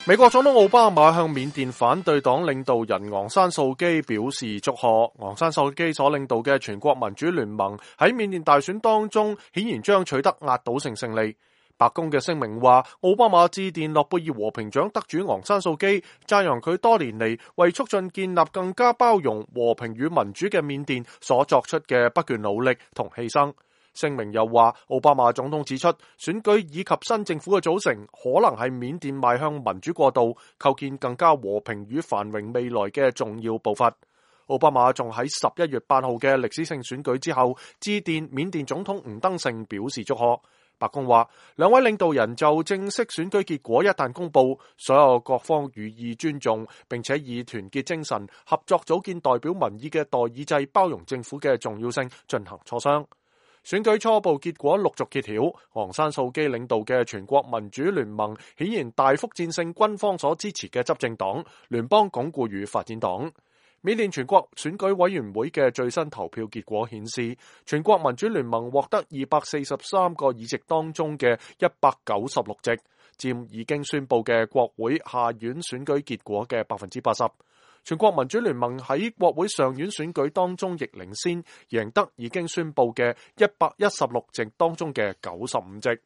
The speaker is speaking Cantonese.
美國總統奧巴馬向緬甸反對黨領導人昂山素基表示祝賀。昂山素基所領導嘅全國民主聯盟喺緬甸大選當中顯然將取得壓倒性勝利。白宮嘅聲明話，奧巴馬致電諾貝爾和平獎得主昂山素基，讚揚佢多年嚟為促進建立更加包容、和平與民主嘅緬甸所作出嘅不倦努力同犧牲。聲明又話，奧巴馬總統指出，選舉以及新政府嘅組成可能係緬甸邁向民主過渡、構建更加和平與繁榮未來嘅重要步伐。奧巴馬仲喺11月8號嘅歷史性選舉之後，致電緬甸總統吳登盛表示祝賀。白宮話，兩位領導人就正式選舉結果一旦公佈，所有各方予以尊重，並且以團結精神合作組建代表民意嘅代議制包容政府嘅重要性進行磋商。選舉初步結果陸續揭曉，昂山素基領導嘅全國民主聯盟顯然大幅戰勝軍方所支持嘅執政黨聯邦鞏固與發展黨。緬甸全國選舉委員會嘅最新投票結果顯示，全國民主聯盟獲得243個議席當中嘅196席，佔已經宣布嘅國會下院選舉結果嘅80%。全國民主聯盟喺國會上院選舉當中亦領先，贏得已經宣布嘅116席當中嘅95席。